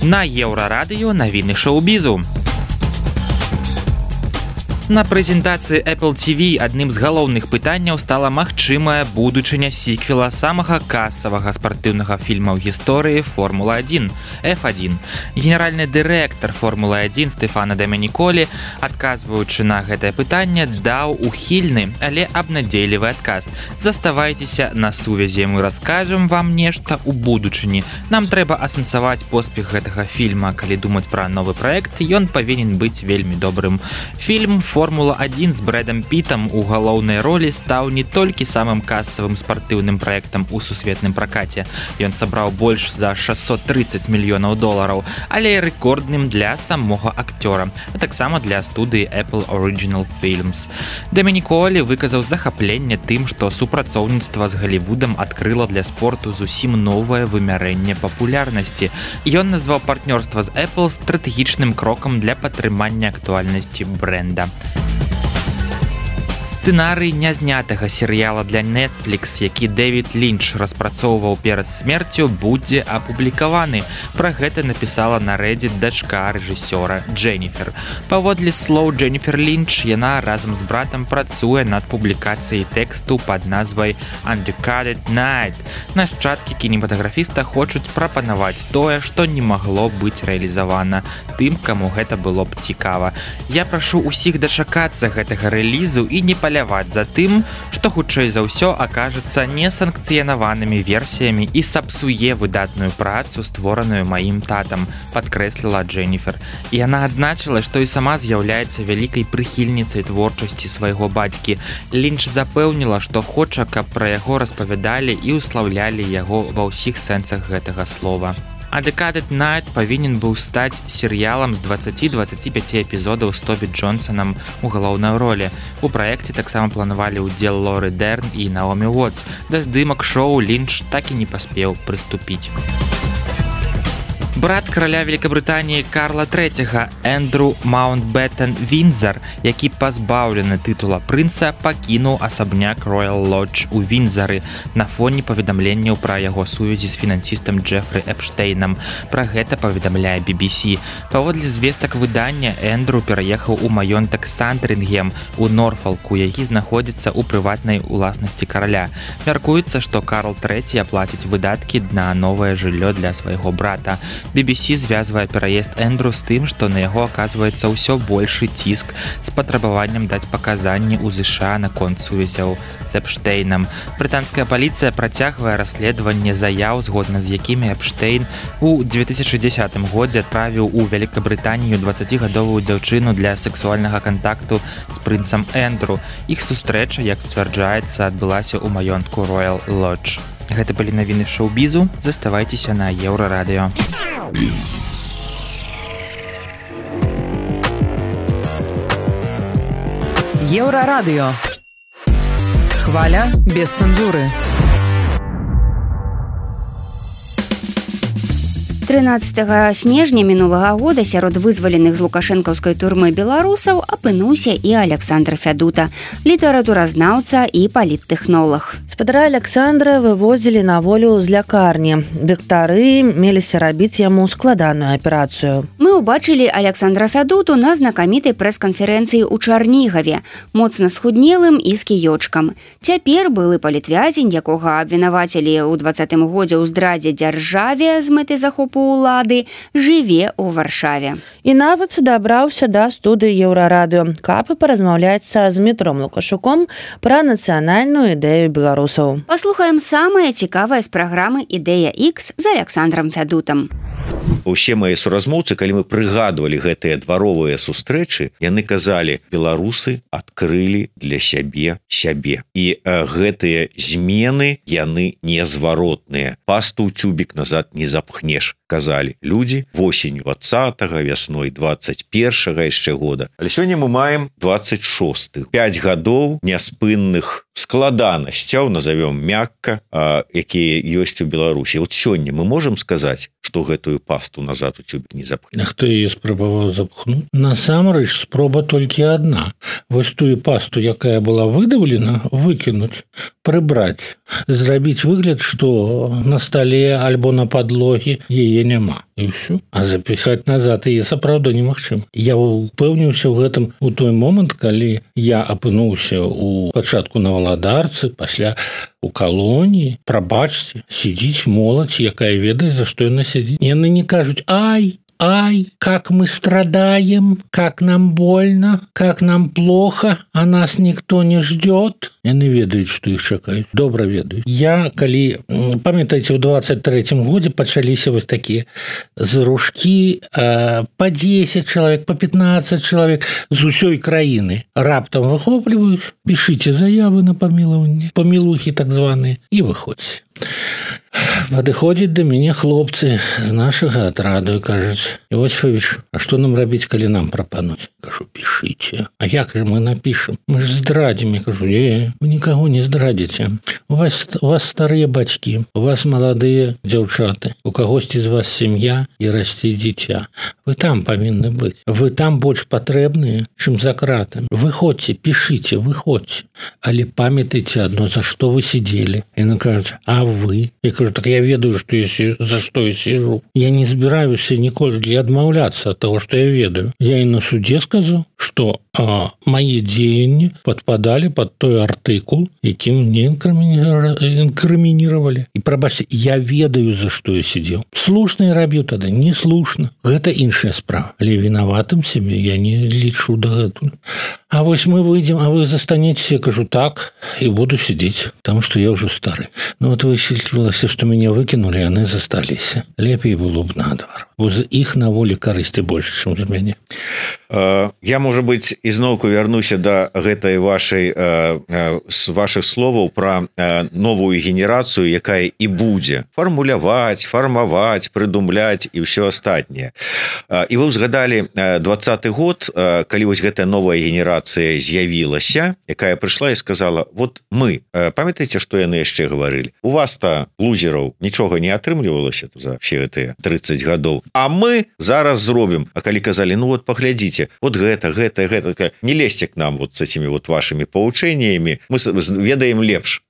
На Еўрарадыё навіны шоу-бізу. На прэзентацыі Apple ти ви адным з галоўных пытанняў стала магчымая будучыня сіквела самага касавага спартыўнага фільма ў гісторыі Формула адзін эф адзін. Генеральны дырэктар Формулы адзін Стэфана Дамяніколі, адказваючы на гэтае пытанне, даў ухільны, але абнадзейлівы адказ. Заставайцеся на сувязі, мы раскажам вам нешта ў будучыні. Нам трэба асэнсаваць поспех гэтага фільма. Калі думаць пра новы праект, ён павінен быць вельмі добрым. Фільм Формула адзін з Брэдам Пітам у галоўнай ролі стаў не толькі самым касавым спартыўным праектам у сусветным пракаце. Ён сабраў больш за шэсцьсот трыццаць мільёнаў долараў, але і рэкордным для самога акцёра, а таксама для студыі Apple Original Films. Дамяніколі выказаў захапленне тым, што супрацоўніцтва з Галівудам адкрыла для спорту зусім новае вымярэнне папулярнасці. Ён назваў партнёрства з Apple стратэгічным крокам для падтрымання актуальнасці брэнда. Сцэнарый нязнятага серыяла для Netflix, які Дэвід Лінч распрацоўваў перад смерцю, будзе апублікаваны. Пра гэта напісала на Reddit дачка рэжысёра Дженніфер. Паводле слоў Дженніфер Лінч, яна разам з братам працуе над публікацыяй тэксту пад назвай Undercutted Night. Нашчадкі кінематаграфіста хочуць прапанаваць тое, што не магло быць рэалізавана тым, каму гэта было б цікава. Я прашу ўсіх дачакацца гэтага рэлізу і не паляваць за тым, што хутчэй за ўсё акажацца несанкцыянаванымі версіямі і сапсуе выдатную працу, створаную маім татам, падкрэсліла Дженніфер. І яна адзначыла, што і сама з'яўляецца вялікай прыхільніцай творчасці свайго бацькі. Лінч запэўніла, што хоча, каб пра яго распавядалі і ўслаўлялі яго ва ўсіх сэнсах гэтага слова. А Decaded Night павінен быў стаць серыялам з дваццаць-дваццаць пяць эпізодаў з Тобі Джонсонам у галоўнай ролі. У праекце таксама планавалі ўдзел Лоры Дэрн і Наомі Уотс. Да здымак шоу Лінч так і не паспеў прыступіць. Брат караля Великабрытаніі Карла трэцяга Эндру Маунтбеттен Віндзар, які пазбаўлены тытула прынца, пакінуў асабняк Royal Lodge у Віндзары на фоне паведамленняў пра яго сувязі з фінансістам Джефры Эпштейнам. Пра гэта паведамляе би би сі. Паводле звестак выдання, Эндру пераехаў у маёнтак Сандрынгем у Норфалку, які знаходзіцца ў прыватнай уласнасці караля. Мяркуецца, што Карл трэці аплаціць выдаткі на новае жыллё для свайго брата. би би сі звязвае пераезд Эндру з тым, што на яго аказваецца ўсё большы ціск з патрабаваннем даць паказанні ў ЗША наконт сувязяў з Эпштейнам. Брытанская паліцыя працягвае расследаванне заяў, згодна з якімі Эпштейн у две тысячы дзесятым годзе адправіў у Великабрытанію дваццацігадовую дзяўчыну для сексуальнага кантакту з прынцам Эндру. Іх сустрэча, як сцвярджаецца, адбылася ў маёнтку Royal Lodge. Гэта былі навіны шоу-бізу. Заставайцеся на Еўрарадыё. Еўрарадыё. Хваля без цэнзуры. трынаццатага снежня мінулага года сярод вызваленых з лукашэнкаўскай турмы беларусаў апынуўся і Александр Фядута, літаратуразнаўца і паліттэхнолаг. Спадара Александра вывозілі на волю з лякарні. Дактары меліся рабіць яму складаную аперацыю. Мы ўбачылі Александра Фядуту на знакамітай прэс-канферэнцыі ў Чарнігаве, моцна схуднелым і з кіёчкам. Цяпер былы палітвязень, якога абвінавацілі ў дваццатым годзе ў здрадзе дзяржаве з мэтай захопу улады, жыве ў Варшаве. І нават дабраўся да студыі Еўрарадыё, каб паразмаўляць са Змітром Лукашуком пра нацыянальную ідэю беларусаў. Паслухаем самае цікавае з праграмы «Ідэя Х» з Александром Фядутам. Усе мае суразмоўцы, калі мы прыгадвалі гэтыя дваровыя сустрэчы, яны казалі, беларусы адкрылі для сябе сябе. І э, гэтыя змены, яны незваротныя. Пасту ў цюбік назад не запхнеш, казалі людзі восень двадцатага, вясной двадцать першага яшчэ года. Але сёння мы маем двадцать шосты. пяць гадоў няспынных складанасцяў, назовём мякка, э, якія ёсць у Беларусі. Вот сёння мы можам сказаць, што гэтую пасту назад у цюбік не запхне. Хто яе спрабаваў запхнуць? Насамрэч спроба толькі адна. Вось тую пасту, якая была выдаўлена, выкінуць, прыбраць, зрабіць выгляд, што на стале альбо на падлогі яе няма. І ўсё. А запіхаць назад яе сапраўды немагчыма. Я упэўніўся ў гэтым у той момант, калі я апынуўся ў пачатку на Валадарцы, пасля у калоніі. Прабачце, сидзіць моладзь, якая ведае, за што яна сидзіць. Яны не кажуць: ай, ай, как мы страдаем, как нам больно, как нам плохо, а нас никто не ждет. Яны ведаюць, што іх чакаюць. Добра ведаюць. Я, калі, памятаеце, у двадцать третьем годзе пачаліся вось такія зрушкі э, по десять чалавек, по пятнадцать чалавек з усёй краіны. Раптам выхопліваюць, пішыце заявы на памілаванне, памілухі так званыя, і выходзьце. Падыходзяць да мяне хлопцы з нашага атраду і кажуць: Иосифович, а што нам рабіць, калі нам прапануць? Кажу: пішыце. А як же мы напішам? Мы ж здрадзім. Я кажу: не, вы нікаго не здрадзіце. У вас, у вас старыя бацькі, у вас маладыя дзяўчаты, у кагосьці з вас сям'я і расце дзіця. Вы там павінны быць. Вы там больш патрэбныя, чым за кратамі. Выходзьце, пішыце, выходзьце. Але памятайце адно, за што вы сидзелі. Яны кажуць: а вы? Я кажу: так я ведаю, што я сижу, за што я сижу. Я не збіраюся ніколі адмаўляцца ад таго, што я ведаю. Я і на суде сказаў, што а, мае дзеянні падпадалі пад той артыкул, якім мне інкрымінировали. І прабачце, я ведаю, за што я сидзеў. Слушна я рабіў тады, не слушна. Гэта іншая справа. Але вінаватым сябе я не лічу дагэтуль. А вось мы выйдзем, а вы застанецеся. Я кажу: так, і буду сидзець, таму што я ўжо стары. Ну вот высветлілася, што мяне выкінулі, яны засталіся. Лепей было б наадварот. Бо з іх на волі карысці больш, чым з мяне. Я, можа быць, ізноўку вярнуся да гэтай вашай з вашых словаў пра новую генерацыю, якая і будзе фармуляваць, фармаваць, прыдумляць і ўсё астатняе. І вы ўзгадалі двадцаты год, калі вось гэтая новая генерацыя з'явілася, якая прыйшла і сказала: вот мы, памятаеце, што яны яшчэ гаварылі? У вас-то, лузераў, нічога не атрымлівалася за все гэтыя тридцать гадоў, а мы зараз зробім. А калі казалі: ну вот паглядзіце, вот гэта, гэта, гэта, не лезьте к нам вот с этими вот вашими поучениями, мы ведаем лепш.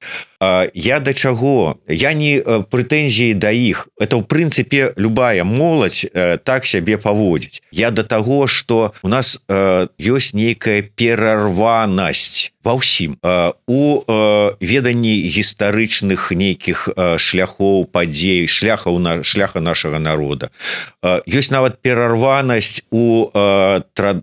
Я да чаго? Я не прэтэнзіі да іх. Это, ў прынцыпе, любая моладзь так сябе паводзіць. Я да таго, што у нас ёсць нейкая перарванасць ва ўсім. У веданні гістарычных нейкіх шляхоў, падзей, шляхаў на шляха нашага народа. Ёсць нават перарванасць у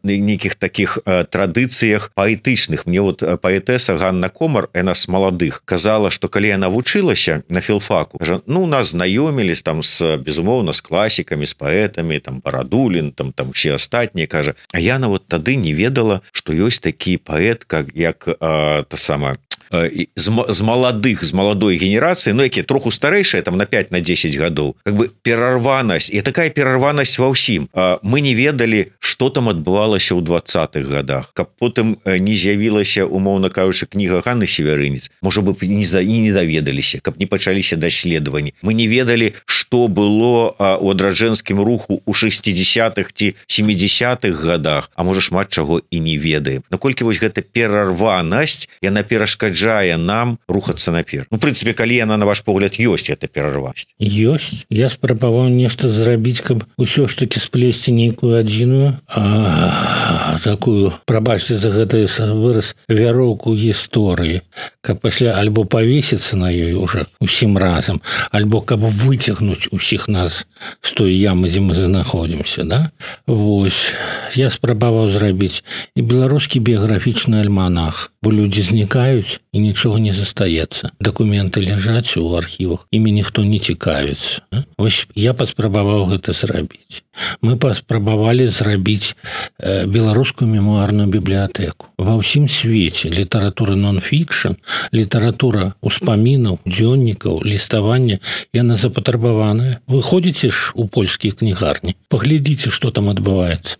нейкіх такіх традыцыях паэтычных. Мне вот паэтэса Ганна Комар, яна з маладых, казала, што калі яна вучылася на філфаку, кажа, ну, нас знаёмілись там з, безумоўна, з класікамі, з паэтамі, там Барадулін, там там усе астатнія, кажа, а яна вот тады не ведала, што ёсць такі паэт, как як а, та сама з, з маладых, з маладой генерацыі, ну, якія троху старэйшыя, там на пять на десять гадоў, как бы перарванасць, і такая перарванасць ва ўсім. Мы не ведалі, што там адбывалася ў двадцатых гадах, каб потым не з'явілася, умоўна кажучы, кніга Ганны Северынец, можа бы, не, за, і не даведаліся, каб не пачаліся даследаванні. Мы не ведалі, што было у адраджэнскім руху ў шестидесятых ці семидесятых гадах, а можа шмат чаго і не ведаем. Наколькі вось гэта перарванасць, яна перашкаджае нам рухацца наперад. Ну, в прынцыпе, калі яна, на ваш погляд, ёсць, гэта перарванасць. Ёсць. Я спрабаваў нешта зрабіць, каб усё ж таки сплесці нейкую адзіную, а, такую, прабачце за гэты выраз, вяроўку гісторыі, каб пасля альбо павесіцца на ёй уже усім разам, альбо каб выцягнуць усіх нас з той ямы, дзе мы знаходзімся, да? Вось. Я спрабаваў зрабіць і беларускі біяграфічны альманах, бо людзі знікаюць і нічога не застаецца. Дакументы ляжаць у архівах, імі ніхто не цікавіцца. Вось я паспрабаваў гэта зрабіць. Мы паспрабавалі зрабіць э, беларускую мемуарную бібліятэку. Ва ўсім свеце літаратура нон-фікшн, літаратура успамінаў, дзённікаў, ліставання, яна запатрабаваная. Вы ходзіце ж у польскія кнігарні, паглядзіце, што там адбываецца.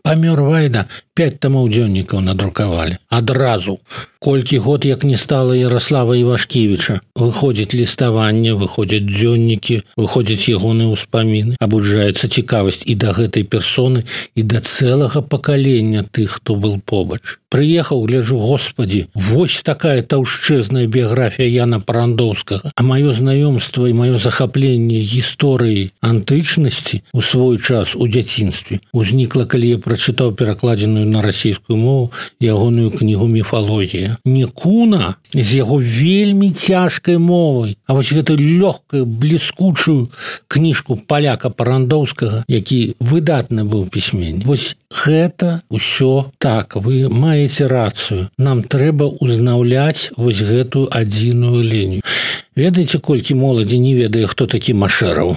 Памёр Вайда, пять тамоў дзённікаў надрукавалі. Адразу. Колькі год, як не стала Ярослава Івашкевіча, выходзіць ліставанне, выходзяць дзённікі, выходзяць ягоныя ўспаміны, абуджаецца цікавасць і да гэтай персоны, і да цэлага пакалення тых, хто был побач. Прыехаў, гляжу, господі, вось такая таўшчэзная біяграфія Яна Парандоўскага. А маё знаёмства і маё захапленне гісторыі антычнасці у свой час у дзяцінстве узнікла, калі я прачытаў перакладзеную на расійскую мову ягоную кнігу «Міфалогія». Не Куна з яго вельмі цяжкай мовай, а вось гэтую лёгкую, бліскучую кніжку паляка Парандоўскага, які выдатны быў пісьменнік. Вось гэта ўсё так, вы маеце рацыю. Нам трэба ўзнаўляць вось гэтую адзіную лінію. Ведаеце, колькі моладзі не ведае, хто такі Машэраў?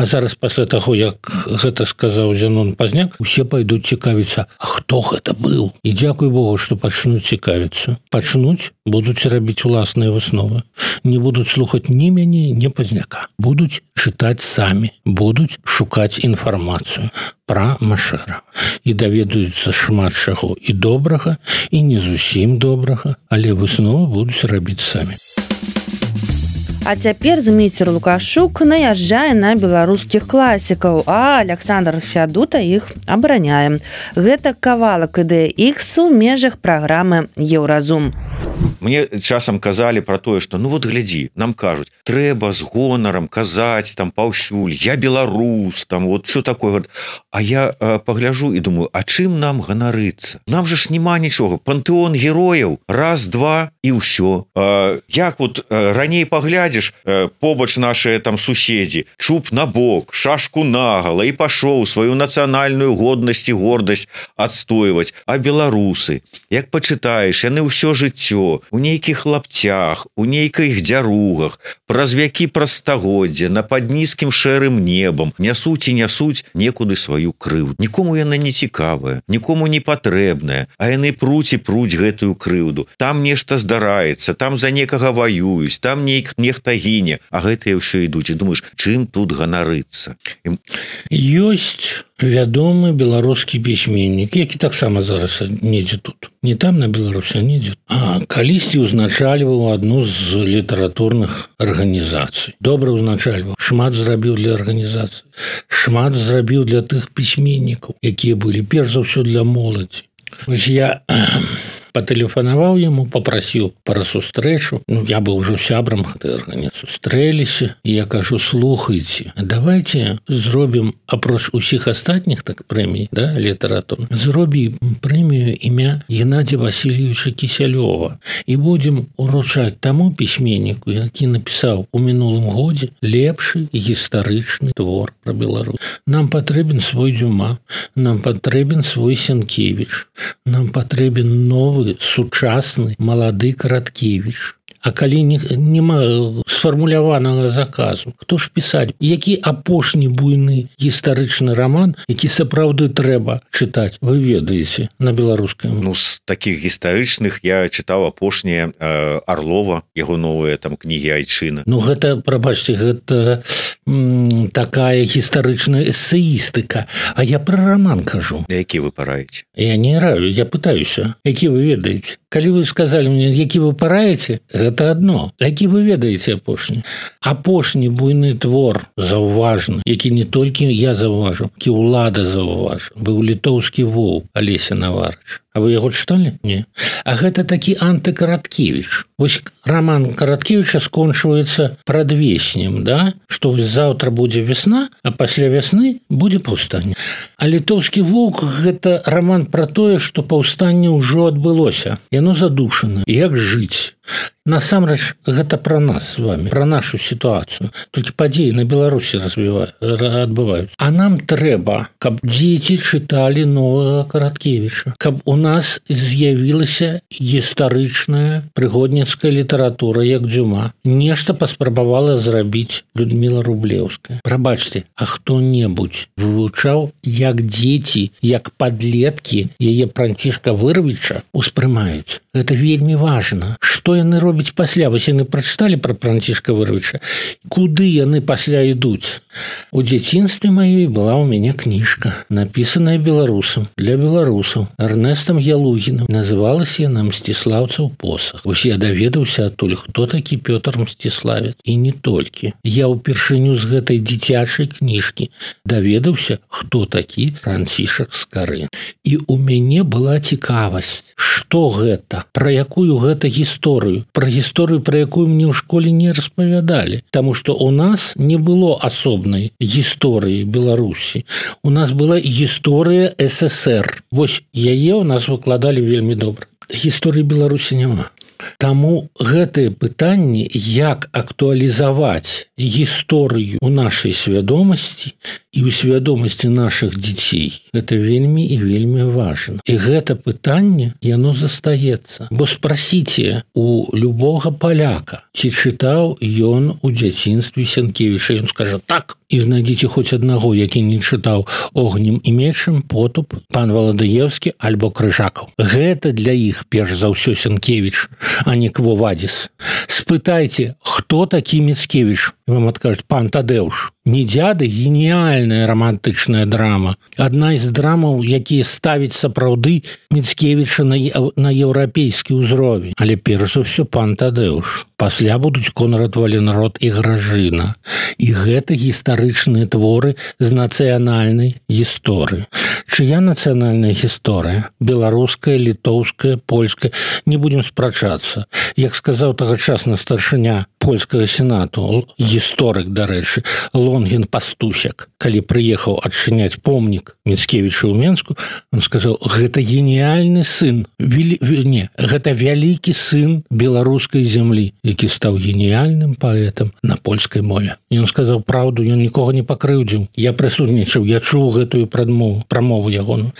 А зараз пасля таго, як гэта сказаў Зянон Пазняк, усе пайдуць цікавіцца, а хто гэта быў? І дзякуй Богу, што пачнуць цікавіцца. Пачнуць, будуць рабіць уласныя высновы. Не будуць слухаць ні мяне, ні Пазняка. Будуць чытаць самі, будуць шукаць інфармацыю пра Машэра. І даведаюцца шмат чаго і добрага, і не зусім добрага, але высновы будуць рабіць самі. А цяпер Зміцер Лукашук наязджае на беларускіх класікаў, а Александр Фядута іх абараняе. Гэта кавалак ідэі Ікс у межах праграмы «Еўразум». Мне часам казалі пра тое, што ну вот глядзі, нам кажуць, трэба з гонарам казаць там паўсюль, я беларус, там вот все такое. А я э, пагляжу і думаю, а чым нам ганарыцца? Нам же ж няма нічога. Пантэон герояў, раз, два і ўсё. Э, як вот э, раней паглядзіш, э, побач нашыя там суседзі, чуб на бок, шашку нагала і пашоў сваю нацыянальную годнасць і гордасць адстойваць. А беларусы, як пачытаеш, яны ўсё жыццё у нейкіх лапцях, у нейкіх дзяругах, праз вякі праз стагоддзя, на пад нізкім шэрым небам нясуць і нясуць некуды сваю крыўду. Нікому яна не цікавая, нікому не патрэбная, а яны пруць і пруць гэтую крыўду. Там нешта здараецца, там за некага ваююць, там нейк нехта гіне, а гэтыя ўсё ідуць. І думаеш, чым тут ганарыцца? Ёсць вядомы беларускі пісьменнік, які таксама зараз недзе тут. Не там на Беларусі, а недзе. А калісьці ўзначальваў адну з літаратурных арганізацый. Добра ўзначальваў. Шмат зрабіў для арганізацыі. Шмат зрабіў для тых пісьменнікаў, якія былі перш за ўсё для моладзі. Вось я патэлефанаваў яму, попрасіў пара сустрэчу. Ну, я быў ужо сябрам гэтай арганізацыі. Сустрэліся, і я кажу, слухайце, давайте зробім, апроч усіх астатніх так прэмій, да, літаратурных, зробім прэмію імя Геннадзія Васильевича Кісялёва і будзем уручаць таму пісьменніку, які напісаў у мінулым годзе лепшы гістарычны твор пра Беларусь. Нам патрэбен свой Дюма, нам патрэбен свой Сенкевіч, нам патрэбен новы сучасны малады Караткевіч. А калі няма сфармуляванага заказу, хто ж пісаць? Які апошні буйны гістарычны раман, які сапраўды трэба чытаць, вы ведаеце на беларускай? Ну, з такіх гістарычных я чытаў апошняе э, Арлова, яго новыя там кнігі Айчына. Ну, гэта, прабачце, гэта м, такая гістарычная эсеістыка. А я пра раман кажу. Які вы параеце? Я не раю, я пытаюся. Які вы ведаеце? Калі вы сказалі мне, які вы параеце, гэта адно. Які вы ведаеце апошні? Апошні буйны твор заўважны, які не толькі я заўважу, які ўлада заўважу, быў літоўскі воўк Алеся Наварыч. А вы яго чыталі? Не. А гэта такі антыкараткевіч. Вось роман Караткевіча скончваецца прадвеснем, да? Што вось заўтра будзе весна, а пасля вясны будзе паўстанне. А літоўскі воўк – гэта роман пра тое, што паўстанне ўжо адбылося. Яно задушана. Як жыць? Насамрэч, гэта пра нас з вами, пра нашу сітуацыю. Толькі падзеі на Беларусі адбываюцца. А нам трэба, каб дзеці чыталі новага Караткевіча, каб у нас з'явілася гістарычная прыгодніцкая літаратура, як Дюма. Нешта паспрабавала зрабіць Людміла Рублеўская. Прабачце, а хто-небудзь вывучаў, як дзеці, як падлеткі яе Францішка Вырвіча успрымаюць? Гэта вельмі важна. Што яны робяць пасля? Вось яны прачыталі пра Францішка Вырвіча. Куды яны пасля ідуць? У дзяцінстве маёй была ў мяне кніжка, напісаная беларусам, для беларусаў, Эрнестам Ялугіным. Называлася яна «Мсціслаўцаў посах». Вось я даведаўся адтуль, хто такі Пётр Мсціславец. І не толькі. Я ўпершыню з гэтай дзіцячай кніжкі даведаўся, хто такі Францішак Скарын. І ў мяне была цікавасць, што гэта, пра якую гэта гісторыю, пра гісторыю, пра якую мне ў школе не распавядалі. Таму што ў нас не было асобнай гісторыі Беларусі. У нас была гісторыя эс эс ер. Вось яе ў нас выкладалі вельмі добра. Гісторыі Беларусі няма. Таму гэтае пытанне, як актуалізаваць гісторыю ў нашай свядомасці і ў свядомасці нашых дзяцей, гэта вельмі і вельмі важна. І гэта пытанне, яно застаецца. Бо спрасіце у любога паляка, ці чытаў ён у дзяцінстве Сенкевіча. Ён скажа так. І знайдзіце хоць аднаго, які не чытаў «Огнем і мечам», «Потуп», «Пан Валадыеўскі» альбо «Крыжакаў». Гэта для іх перш за ўсё Сенкевіч, а не Кво Вадзіс. Спытайце, хто такі Міцкевіч? І вам адкажуць «Пан Тадэуш». «Недзяды» – геніяльная романтычная драма. Адна з драмаў, якія ставяць сапраўды Міцкевіча на, на еўрапейскі ўзровень. Але перш за ўсё «Пан Тадэуш». Пасля будуць Конрад Валенрод і Гражына. І гэта гістарычныя творы з нацыянальнай гісторыі. Чыя нацыянальная гісторыя? Беларуская, літоўская, польская. Не будзем спрачацца. Як сказаў тагачасны старшыня польскага сенату, гісторык, дарэчы, Лонгін Пастусяк, калі прыехаў адчыняць помнік Міцкевічу ў Менску, он сказаў, гэта геніяльны сын, вели... не, гэта вялікі сын беларускай зямлі, які стаў геніяльным паэтам на польскай мове. І он сказаў праўду, ён нікога не пакрыўдзіў. Я прысутнічаў, я чуў гэтую прадмову, прамову ягону.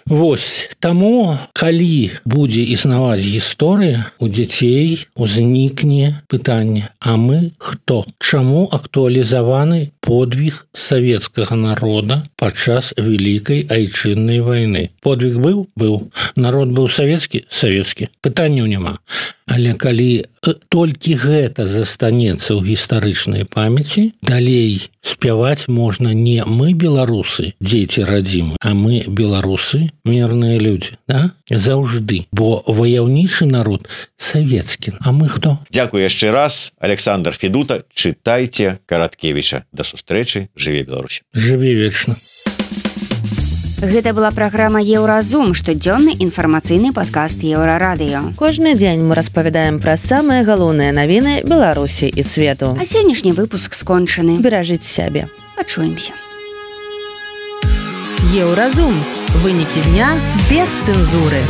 Вось таму калі будзе існаваць гісторыя, у дзяцей узнікне пытанне: а мы хто? Чаму актуалізаваны подвиг савецкага народа падчас вялікай айчыннай вайны? Подвиг быў? Быў. Народ быў савецкі? Савецкі. Пытанняў няма. Але калі толькі гэта застанецца ў гістарычнай памяці, далей спяваць можна не мы беларусы, дзеці радзімы, а мы беларусы, мірныя людзі, да? Заўжды. Бо ваяўнічы народ савецкі. А мы хто? Дзякую яшчэ раз. Александр Федута. Чытайце Караткевіча. Да сустрэчы. Жыве Беларусь. Жыве вечна. Гэта была праграма Еўразум, штодзённы інфармацыйны падкаст Еўрарадыё. Кожны дзень мы распавядаем пра самыя галоўныя навіны Беларусі і свету. А сённяшні выпуск скончаны. Беражыць сябе. Пачуемся. Еўразум. Вынікі дня без цэнзуры.